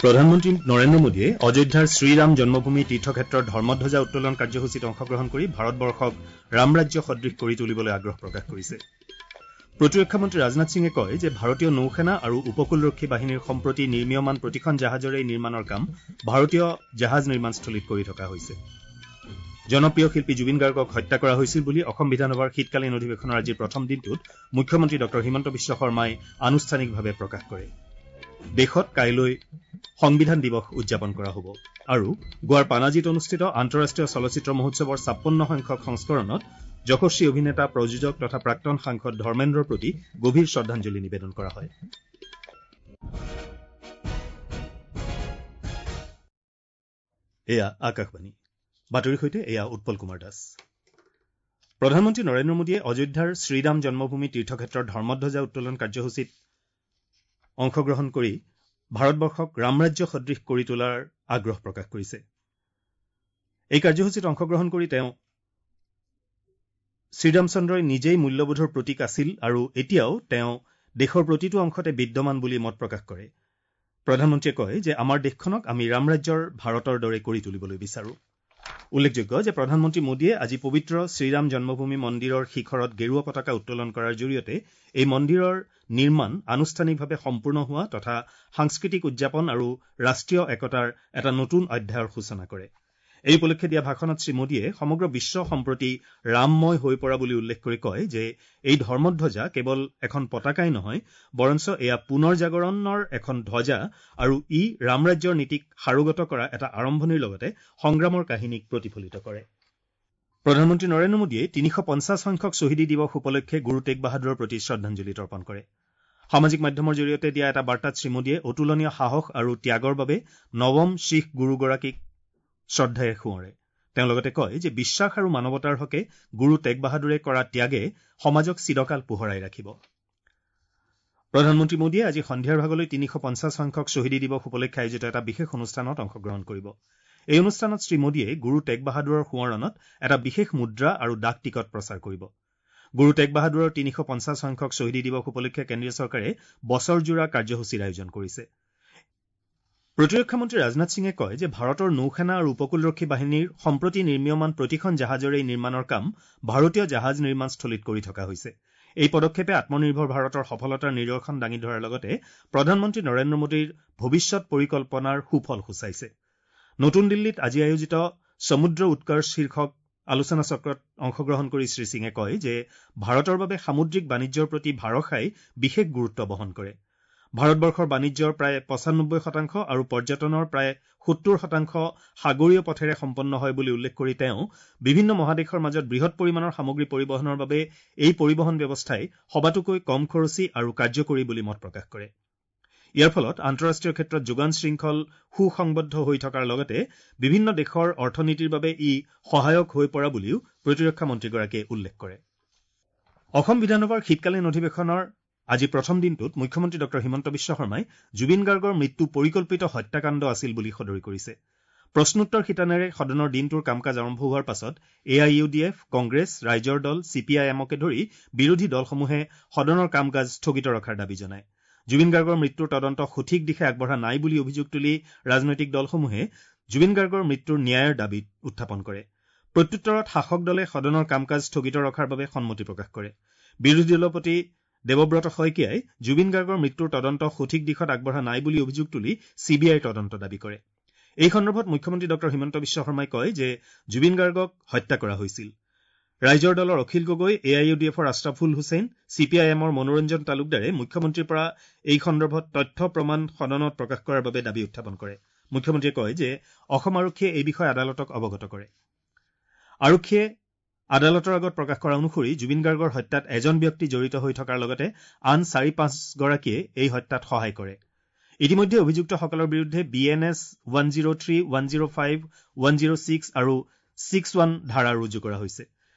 প্ৰধানমন্ত্ৰী নৰেন্দ্ৰ মোদীয়ে অযোধ্যাৰ শ্ৰীৰাম জন্মভূমি তীৰ্থক্ষেত্ৰৰ ধৰ্মধ্বজা উত্তোলন কাৰ্যসূচীত অংশগ্ৰহণ কৰি ভাৰতবৰ্ষক ৰামৰাজ্য সদৃশ কৰি তুলিবলৈ আগ্ৰহ প্ৰকাশ কৰিছে। প্ৰতিৰক্ষা মন্ত্ৰী ৰাজনাথ সিঙে কয় যে ভাৰতীয় নৌসেনা আৰু উপকূলৰক্ষী বাহিনীৰ সম্প্ৰতি নিৰ্মীয়মান প্ৰতিখন জাহাজৰে নিৰ্মাণৰ কাম ভাৰতীয় জাহাজ নিৰ্মাণস্থলীত কৰি থকা হৈছে। জনপ্ৰিয় শিল্পী জুবিন গাৰ্গক হত্যা কৰা হৈছিল বুলি অসম বিধানসভাৰ শীতকালীন অধিৱেশনৰ আজিৰ প্ৰথম দিনটোত মুখ্যমন্ত্ৰী ডঃ হিমন্ত বিশ্ব শৰ্মাই আনুষ্ঠানিকভাৱে প্ৰকাশ কৰে। দেশত কাইলৈ সংবিধান দিৱস উদযাপন কৰা হ'ব আৰু গোৱাৰ পানাজীত অনুষ্ঠিত আন্তঃৰাষ্ট্ৰীয় চলচ্চিত্ৰ মহোৎসৱৰ ৫৬ সংখ্যক সংস্কৰণত যশস্বী অভিনেতা, প্ৰযোজক তথা প্ৰাক্তন সাংসদ ধৰ্মেন্দ্ৰৰ প্ৰতি গভীৰ শ্ৰদ্ধাঞ্জলি নিবেদন কৰা হয়। এয়া আকাশবাণী বাতৰিৰ সৈতে এয়া উৎপল কুমাৰ দাস। প্ৰধানমন্ত্ৰী নৰেন্দ্ৰ মোদীয়ে অযোধ্যাৰ শ্ৰীৰাম জন্মভূমি তীৰ্থক্ষেত্ৰৰ ধৰ্মধ্বজা উত্তোলন কাৰ্যসূচীত অংশগ্ৰহণ কৰি ভাৰতবৰ্ষক ৰামৰাজ্য সদৃশ কৰি তোলাৰ আগ্ৰহ প্ৰকাশ কৰিছে। এই কাৰ্যসূচীত অংশগ্ৰহণ কৰি তেওঁ শ্ৰীৰামচন্দ্ৰই নিজেই মূল্যবোধৰ প্ৰতীক আছিল আৰু এতিয়াও তেওঁ দেশৰ প্ৰতিটো অংশতে বিদ্যমান বুলি মত প্ৰকাশ কৰে। প্ৰধানমন্ত্ৰীয়ে কয় যে আমাৰ দেশখনক আমি ৰামৰাজ্যৰ ভাৰতৰ দৰে কৰি তুলিবলৈ বিচাৰো। উল্লেখযোগ্য যে প্ৰধানমন্ত্ৰী মোদীয়ে আজি পবিত্ৰ শ্ৰীৰাম জন্মভূমি মন্দিৰৰ শিখৰত গেৰুৱা পতাকা উত্তোলন কৰাৰ জৰিয়তে এই মন্দিৰৰ নিৰ্মাণ আনুষ্ঠানিকভাৱে সম্পূৰ্ণ হোৱা তথা সাংস্কৃতিক উদযাপন আৰু ৰাষ্ট্ৰীয় একতাৰ এটা নতুন অধ্যায়ৰ সূচনা কৰে। এই উপলক্ষে দিয়া ভাষণত শ্ৰীমোদীয়ে সমগ্ৰ বিশ্ব সম্প্ৰতি ৰামময় হৈ পৰা বুলি উল্লেখ কৰি কয় যে এই ধৰ্মধ্বজা কেৱল এখন পতাকাই নহয়, বৰঞ্চ এয়া পুনৰ জাগৰণৰ এখন ধ্বজা আৰু ই ৰামৰাজ্যৰ নীতিক সাৰোগত কৰা এটা আৰম্ভণিৰ লগতে সংগ্ৰামৰ কাহিনীক প্ৰতিফলিত কৰে। প্ৰধানমন্ত্ৰী নৰেন্দ্ৰ মোদীয়ে ৩৫০ সংখ্যক শ্বহীদী দিৱস উপলক্ষে গুৰু টেগ বাহাদুৰৰ প্ৰতি শ্ৰদ্ধাঞ্জলি তৰ্পণ কৰে। সামাজিক মাধ্যমৰ জৰিয়তে দিয়া এটা বাৰ্তাত শ্ৰীমোদীয়ে অতুলনীয় সাহস আৰু ত্যাগৰ বাবে নৱম শিখ গুৰুগৰাকীক শ্ৰদ্ধাৰে সোঁৱৰে। তেওঁ লগতে কয় যে বিশ্বাস আৰু মানৱতাৰ হকে গুৰু টেগ বাহাদুৰে কৰা ত্যাগে সমাজক চিৰকাল পোহৰাই ৰাখিব। প্ৰধানমন্ত্ৰী মোদীয়ে আজি সন্ধিয়াৰ ভাগলৈ ৩৫০ সংখ্যক শ্বহীদী দিৱস উপলক্ষে আয়োজিত এটা বিশেষ অনুষ্ঠানত অংশগ্ৰহণ কৰিব। এই অনুষ্ঠানত শ্ৰীমোদীয়ে গুৰু টেগ বাহাদুৰৰ সোঁৱৰণত এটা বিশেষ মুদ্ৰা আৰু ডাক টিকট প্ৰচাৰ কৰিব। গুৰু টেগ বাহাদুৰৰ ৩৫০ সংখ্যক শ্বহীদী দিৱস উপলক্ষে কেন্দ্ৰীয় চৰকাৰে বছৰজোৰা কাৰ্যসূচীৰ আয়োজন কৰিছে। প্ৰতিৰক্ষা মন্ত্ৰী ৰাজনাথ সিঙে কয় যে ভাৰতৰ নৌসেনা আৰু উপকূলৰক্ষী বাহিনীৰ সম্প্ৰতি নিৰ্মীয়মান প্ৰতিখন জাহাজৰে নিৰ্মাণৰ কাম ভাৰতীয় জাহাজ নিৰ্মাণস্থলীত কৰি থকা হৈছে। এই পদক্ষেপে আত্মনিৰ্ভৰ ভাৰতৰ সফলতাৰ নিদৰ্শন দাঙি ধৰাৰ লগতে প্ৰধানমন্ত্ৰী নৰেন্দ্ৰ মোদীৰ ভৱিষ্যত পৰিকল্পনাৰ সুফল সূচাইছে। নতুন দিল্লীত আজি আয়োজিত সমুদ্ৰ উৎকৰ্ষ শীৰ্ষক আলোচনা চক্ৰত অংশগ্ৰহণ কৰি শ্ৰীসিঙে কয় যে ভাৰতৰ বাবে সামুদ্ৰিক বাণিজ্যৰ প্ৰতি ভাৰসাই বিশেষ গুৰুত্ব বহন কৰে। ভাৰতবৰ্ষৰ বাণিজ্যৰ প্ৰায় ৯৫% আৰু পৰ্যটনৰ প্ৰায় ৭০% সাগৰীয় পথেৰে সম্পন্ন হয় বুলি উল্লেখ কৰি তেওঁ বিভিন্ন মহাদেশৰ মাজত বৃহৎ পৰিমাণৰ সামগ্ৰী পৰিবহণৰ বাবে এই পৰিবহণ ব্যৱস্থাই সবাতোকৈ কম খৰচী আৰু কাৰ্যকৰী বুলি মত প্ৰকাশ কৰে। ইয়াৰ ফলত আন্তঃৰাষ্ট্ৰীয় ক্ষেত্ৰত যোগান শৃংখল সুসংবদ্ধ হৈ থকাৰ লগতে বিভিন্ন দেশৰ অৰ্থনীতিৰ বাবে ই সহায়ক হৈ পৰা বুলিও প্ৰতিৰক্ষা মন্ত্ৰীগৰাকীয়ে উল্লেখ কৰে। অসম বিধানসভাৰ শীতকালীন অধিৱেশনৰ আজি প্ৰথম দিনটোত মুখ্যমন্ত্ৰী ডঃ হিমন্ত বিশ্ব শৰ্মাই জুবিন গাৰ্গৰ মৃত্যু পৰিকল্পিত হত্যাকাণ্ড আছিল বুলি সদৰি কৰিছে। প্ৰশ্নোত্তৰ শিতানেৰে সদনৰ দিনটোৰ কাম কাজ আৰম্ভ হোৱাৰ পাছত A I U D F, Congress, ৰাইজৰ দল, চি পি আই এমকে ধৰি বিৰোধী দলসমূহে সদনৰ কাম কাজ স্থগিত ৰখাৰ দাবী জনায়। জুবিন গাৰ্গৰ মৃত্যুৰ তদন্ত সঠিক দিশে আগবঢ়া নাই বুলি অভিযোগ তুলি ৰাজনৈতিক দলসমূহে জুবিন গাৰ্গৰ মৃত্যুৰ ন্যায়ৰ দাবী উত্থাপন কৰে। প্ৰত্যুত্তৰত শাসক দলে সদনৰ কাম কাজ স্থগিত ৰখাৰ বাবে সন্মতি প্ৰকাশ কৰে। বিৰোধী দলপতি দেৱব্ৰত শইকীয়াই জুবিন গাৰ্গৰ মৃত্যুৰ তদন্ত সঠিক দিশত আগবঢ়া নাই বুলি অভিযোগ তুলি চি বি আইৰ তদন্ত দাবী কৰে। এই সন্দৰ্ভত মুখ্যমন্ত্ৰী ডঃ হিমন্ত বিশ্ব শৰ্মাই কয় যে জুবিন গাৰ্গক হত্যা কৰা হৈছিল। ৰাইজৰ দলৰ Akhil Gogoi, A I U D এফৰ Ashraful Hussain, C P I এমৰ মনোৰঞ্জন তালুকদাৰে মুখ্যমন্ত্ৰীৰ পৰা এই সন্দৰ্ভত তথ্য প্ৰমাণ সদনত প্ৰকাশ কৰাৰ বাবে দাবী উত্থাপন কৰে। মুখ্যমন্ত্ৰীয়ে কয় যে অসম আৰক্ষীয়ে এই বিষয়ে আদালতক অৱগত কৰে। আৰক্ষীয়ে আদালতৰ আগত প্ৰকাশ কৰা অনুসৰি জুবিন গাৰ্গৰ হত্যাত এজন ব্যক্তি জড়িত হৈ থকাৰ লগতে আন ৪-৫ গৰাকীয়ে এই হত্যাত সহায় কৰে। ইতিমধ্যে অভিযুক্তসকলৰ বিৰুদ্ধে B N S 103, 105, 106 আৰু 61 ধাৰা ৰুজু কৰা হৈছে।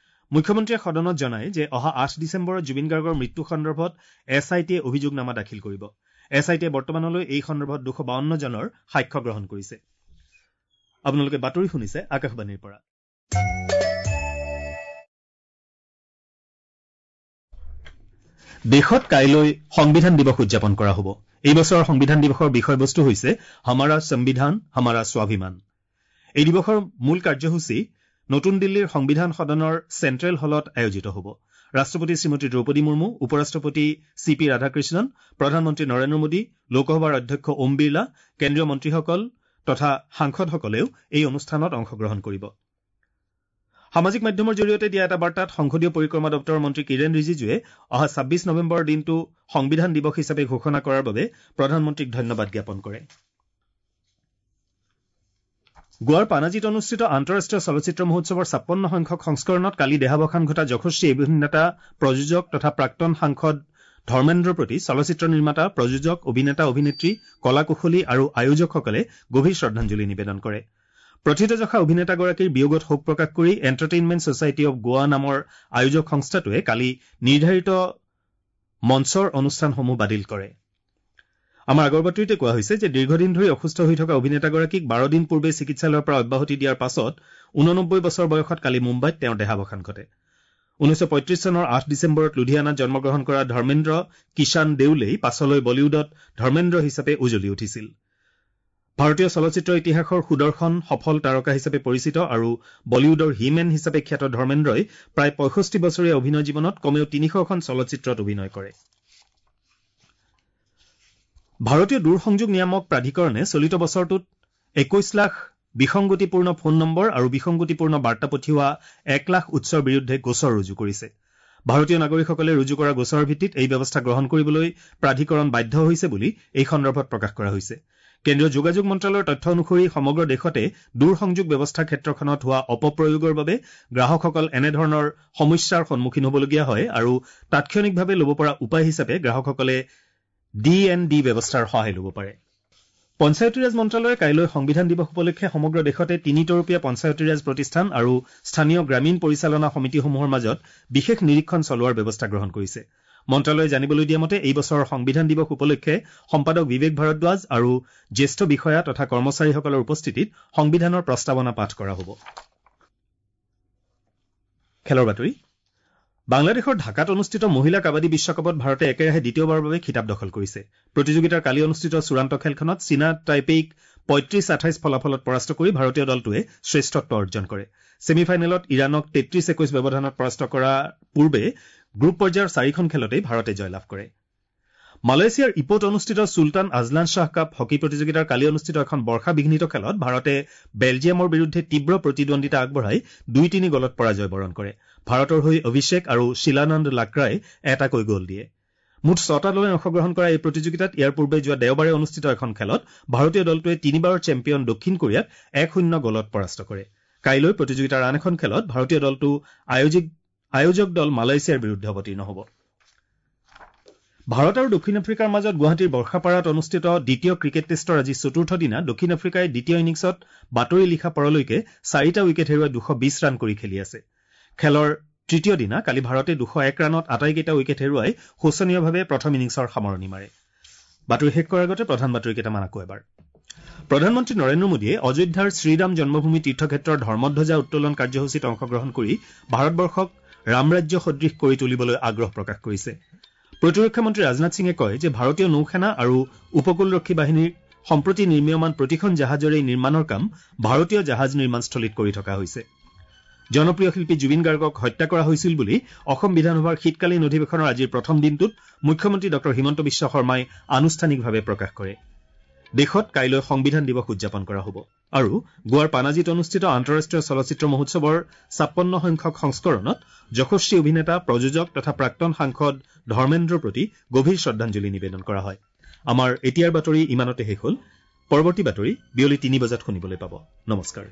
মুখ্যমন্ত্ৰীয়ে সদনত জনায় যে অহা ৮ ডিচেম্বৰত জুবিন গাৰ্গৰ মৃত্যু সন্দৰ্ভত এছ I টিয়ে অভিযোগনামা দাখিল কৰিব। এছ I টিয়ে বৰ্তমানলৈ এই সন্দৰ্ভত ২৫২ জনৰ সাক্ষ্য গ্ৰহণ কৰিছে। আপোনালোকে বাতৰি শুনিছে আকাশবাণীৰ পৰা। দেশত কাইলৈ সংবিধান দিৱস উদযাপন কৰা হ'ব। এই বছৰৰ সংবিধান দিৱসৰ বিষয়বস্তু হৈছে হমাৰা সংবিধান হমাৰা স্বাভিমান। এই দিৱসৰ মূল কাৰ্যসূচী নতুন দিল্লীৰ সংবিধান সদনৰ চেণ্ট্ৰেল হলত আয়োজিত হ'ব। ৰাষ্ট্ৰপতি শ্ৰীমতী দ্ৰৌপদী মুৰ্মু, উপ ৰাষ্ট্ৰপতি চি পি ৰাধাকৃষ্ণন, প্ৰধানমন্ত্ৰী নৰেন্দ্ৰ মোদী, লোকসভাৰ অধ্যক্ষ ওম বিৰলা, কেন্দ্ৰীয় মন্ত্ৰীসকল তথা সাংসদসকলেও এই অনুষ্ঠানত অংশগ্ৰহণ কৰিব। সামাজিক মাধ্যমৰ জৰিয়তে দিয়া এটা বাৰ্তাত সংসদীয় পৰিক্ৰমা দপ্তৰৰ মন্ত্ৰী কিৰেণ ৰিজিজুৱে অহা ২৬ নৱেম্বৰৰ দিনটো সংবিধান দিৱস হিচাপে ঘোষণা কৰাৰ বাবে প্ৰধানমন্ত্ৰীক ধন্যবাদ জ্ঞাপন কৰে। গোৱাৰ পানাজীত অনুষ্ঠিত আন্তঃৰাষ্ট্ৰীয় চলচ্চিত্ৰ মহোৎসৱৰ ৫৬ সংখ্যক সংস্কৰণত কালি দেহাৱসান ঘটা যশস্বী অভিনেতা, প্ৰযোজক তথা প্ৰাক্তন সাংসদ ধৰ্মেন্দ্ৰৰ প্ৰতি চলচ্চিত্ৰ নিৰ্মাতা, প্ৰযোজক, অভিনেতা, অভিনেত্ৰী, কলা কুশলী আৰু আয়োজকসকলে গভীৰ শ্ৰদ্ধাঞ্জলি নিবেদন কৰে। প্ৰথিতযশা অভিনেতাগৰাকীৰ বিয়োগত শোক প্ৰকাশ কৰি এণ্টাৰটেইনমেণ্ট ছচাইটি অৱ গোৱা নামৰ আয়োজক সংস্থাটোৱে কালি নিৰ্ধাৰিত মঞ্চৰ অনুষ্ঠানসমূহ বাতিল কৰে। আমাৰ আগৰ বাতৰিতে কোৱা হৈছে যে দীৰ্ঘদিন ধৰি অসুস্থ হৈ থকা অভিনেতাগৰাকীক ১২ দিন পূৰ্বে চিকিৎসালয়ৰ পৰা অব্যাহতি দিয়াৰ পাছত ৮৯ বছৰ বয়সত কালি মুম্বাইত তেওঁৰ দেহাৱসান ঘটে। ১৯৩৫ চনৰ ৮ ডিচেম্বৰত লুধিয়ানাত জন্মগ্ৰহণ কৰা ধৰ্মেন্দ্ৰ কিষাণ দেউলেই পাছলৈ বলিউডত ধৰ্মেন্দ্ৰ হিচাপে উজলি উঠিছিল। ভাৰতীয় চলচ্চিত্ৰ ইতিহাসৰ সুদৰ্শন সফল তাৰকা হিচাপে পৰিচিত আৰু বলিউডৰ হিমেন হিচাপে খ্যাত ধৰ্মেন্দ্ৰই প্ৰায় ৬৫ বছৰীয়া অভিনয় জীৱনত কমেও ৩০০খন চলচ্চিত্ৰত অভিনয় কৰে। ভাৰতীয় দূৰসংযোগ নিয়ামক প্ৰাধিকৰণে চলিত বছৰটোত ২১ লাখ বিসংগতিপূৰ্ণ ফোন নম্বৰ আৰু বিসংগতিপূৰ্ণ বাৰ্তা পঠিওৱা ১ লাখ উৎসৰ বিৰুদ্ধে গোচৰ ৰুজু কৰিছে। ভাৰতীয় নাগৰিকসকলে ৰুজু কৰা গোচৰৰ ভিত্তিত এই ব্যৱস্থা গ্ৰহণ কৰিবলৈ প্ৰাধিকৰণ বাধ্য হৈছে বুলি এই সন্দৰ্ভত প্ৰকাশ কৰা হৈছে। কেন্দ্ৰীয় যোগাযোগ মন্ত্ৰালয়ৰ তথ্য অনুসৰি সমগ্ৰ দেশতে দূৰসংযোগ ব্যৱস্থাৰ ক্ষেত্ৰখনত হোৱা অপপ্ৰয়োগৰ বাবে গ্ৰাহকসকল এনেধৰণৰ সমস্যাৰ সন্মুখীন হ'বলগীয়া হয় আৰু তাৎক্ষণিকভাৱে ল'ব পৰা উপায় হিচাপে গ্ৰাহকসকলে ডি এন ডি ব্যৱস্থাৰ সহায় ল'ব পাৰে। পঞ্চায়তীৰাজ মন্ত্ৰালয়ে কাইলৈ সংবিধান দিৱস উপলক্ষে সমগ্ৰ দেশতে তিনিতৰপীয়া পঞ্চায়তীৰাজ প্ৰতিষ্ঠান আৰু স্থানীয় গ্ৰামীণ পৰিচালনা সমিতিসমূহৰ মাজত বিশেষ নিৰীক্ষণ চলোৱাৰ ব্যৱস্থা গ্ৰহণ কৰিছে। মন্ত্ৰালয়ে জানিবলৈ দিয়া মতে এই বছৰৰ সংবিধান দিৱস উপলক্ষে সম্পাদক বিবেক ভাৰদ্বাজ আৰু জ্যেষ্ঠ বিষয়া তথা কৰ্মচাৰীসকলৰ উপস্থিতিত সংবিধানৰ প্ৰস্তাৱনা পাঠ কৰা হ'ব। খেলৰ বাতৰি। বাংলাদেশৰ ঢাকাত অনুষ্ঠিত মহিলা কাবাডী বিশ্বকাপত ভাৰতে একেৰাহে দ্বিতীয়বাৰৰ বাবে খিতাপ দখল কৰিছে। প্ৰতিযোগিতাৰ কালি অনুষ্ঠিত চূড়ান্ত খেলখনত চীনা টাইপেইক ৩৫-২৮ ফলাফলত পৰাস্ত কৰি ভাৰতীয় দলটোৱে শ্ৰেষ্ঠত্ব অৰ্জন কৰে। ছেমি ফাইনেলত ইৰাণক ৩৩-২১ ব্যৱধানত পৰাস্ত কৰাৰ পূৰ্বে গ্ৰুপ পৰ্যায়ৰ চাৰিখন খেলতেই ভাৰতে জয়লাভ কৰে। মালয়েছিয়াৰ ইপোত অনুষ্ঠিত Sultan Azlan Shah cup hockey প্ৰতিযোগিতাৰ কালি অনুষ্ঠিত এখন বৰ্ষা বিঘ্নিত খেলত ভাৰতে বেলজিয়ামৰ বিৰুদ্ধে তীব্ৰ প্ৰতিদ্বন্দ্বিতা আগবঢ়াই ২-৩ গ'লত পৰাজয় বৰণ কৰে। ভাৰতৰ হৈ অভিষেক আৰু শিলানন্দ লাক্ৰাই এটাকৈ গ'ল দিয়ে। মুঠ ছটা দলে অংশগ্ৰহণ কৰা এই প্ৰতিযোগিতাত ইয়াৰ পূৰ্বে যোৱা দেওবাৰে অনুষ্ঠিত এখন খেলত ভাৰতীয় দলটোৱে তিনিবাৰৰ চেম্পিয়ন দক্ষিণ কোৰিয়াক ১-০ গ'লত পৰাস্ত কৰে। কাইলৈ প্ৰতিযোগিতাৰ আন এখন খেলত ভাৰতীয় দলটো আয়োজক দল মালয়েছিয়াৰ বিৰুদ্ধে অৱতীৰ্ণ হ'ব। ভাৰত আৰু দক্ষিণ আফ্ৰিকাৰ মাজত গুৱাহাটীৰ বৰ্ষাপাৰাত অনুষ্ঠিত দ্বিতীয় ক্ৰিকেট টেষ্টৰ আজি চতুৰ্থ দিনা দক্ষিণ আফ্ৰিকাই দ্বিতীয় ইনিংছত বাতৰি লিখা পৰলৈকে ৪টা উইকেট হেৰুৱাই ২২০ ৰান কৰি খেলি আছে। খেলৰ তৃতীয় দিনা কালি ভাৰতে ২০১ ৰানত আটাইকেইটা উইকেট হেৰুৱাই শোচনীয়ভাৱে প্ৰথম ইনিংছৰ সামৰণি মাৰে। বাতৰি শেষ কৰাৰ আগতে প্ৰধান বাতৰি কেইটামান আকৌ এবাৰ। প্ৰধানমন্ত্ৰী নৰেন্দ্ৰ মোদীয়ে অযোধ্যাৰ শ্ৰীৰাম জন্মভূমি তীৰ্থক্ষেত্ৰৰ ধৰ্মধ্বজা উত্তোলন কাৰ্যসূচীত অংশগ্ৰহণ কৰি ভাৰতবৰ্ষক ৰামৰাজ্য সদৃশ কৰি তুলিবলৈ আগ্ৰহ প্ৰকাশ কৰিছে। প্ৰতিৰক্ষা মন্ত্ৰী ৰাজনাথ সিঙে কয় যে ভাৰতীয় নৌসেনা আৰু উপকূলৰক্ষী বাহিনীৰ সম্প্ৰতি নিৰ্মীয়মান প্ৰতিখন জাহাজৰেই নিৰ্মাণৰ কাম ভাৰতীয় জাহাজ নিৰ্মাণস্থলীত কৰি থকা হৈছে। জনপ্ৰিয় শিল্পী জুবিন গাৰ্গক হত্যা কৰা হৈছিল বুলি অসম বিধানসভাৰ শীতকালীন অধিৱেশনৰ আজিৰ প্ৰথম দিনটোত মুখ্যমন্ত্ৰী ডঃ হিমন্ত বিশ্ব শৰ্মাই আনুষ্ঠানিকভাৱে প্ৰকাশ কৰে। দেশত কাইলৈ সংবিধান দিৱস উদযাপন কৰা হ'ব আৰু গোৱাৰ পানাজীত অনুষ্ঠিত আন্তঃৰাষ্ট্ৰীয় চলচ্চিত্ৰ মহোৎসৱৰ ৫৬ সংখ্যক সংস্কৰণত যশস্বী অভিনেতা, প্ৰযোজক তথা প্ৰাক্তন সাংসদ ধৰ্মেন্দ্ৰৰ প্ৰতি গভীৰ শ্ৰদ্ধাঞ্জলি নিবেদন কৰা হয়। আমাৰ এতিয়াৰ বাতৰি ইমানতে শেষ হ'ল। পৰৱৰ্তী বাতৰি বিয়লি ৩ বজাত শুনিবলৈ পাব। নমস্কাৰ।